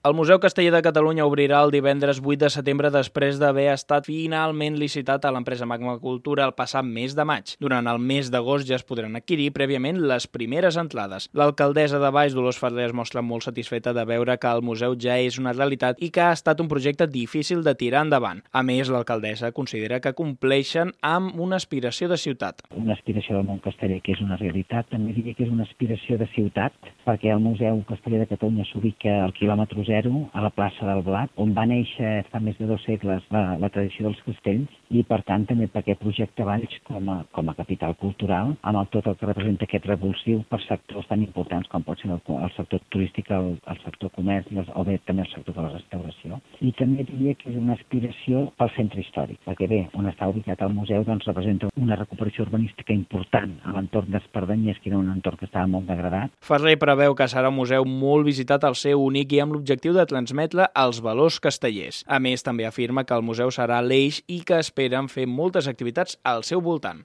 El Museu Casteller de Catalunya obrirà el divendres 8 de setembre després d'haver estat finalment licitat a l'empresa Magma Cultura el passat mes de maig. Durant el mes d'agost ja es podran adquirir prèviament les primeres entrades. L'alcaldessa de Valls, Dolors Ferrer, es mostra molt satisfeta de veure que el museu ja és una realitat i que ha estat un projecte difícil de tirar endavant. A més, l'alcaldessa considera que compleixen amb una aspiració de ciutat. Una aspiració del món casteller que és una realitat, també diria que és una aspiració de ciutat, perquè el Museu Casteller de Catalunya s'ubica al quilòmetre zero, a la plaça del Blat, on va néixer fa més de 2 segles la tradició dels castells i, per tant, també per aquest projecte Valls com a capital cultural, amb tot el que representa aquest revulsiu per sectors tan importants com pot ser el sector turístic, el sector comerç o bé també el sector de la restauració. I també diria que és una aspiració pel centre històric, perquè bé, on està ubicat el museu doncs representa una recuperació urbanística important a l'entorn d'Espardenyers, que era un entorn que estava molt degradat. Ferrer preveu que serà un museu molt visitat al ser únic i amb l'objectiu de transmetre els valors castellers. A més, també afirma que el museu serà l'eix i que esperen fer moltes activitats al seu voltant.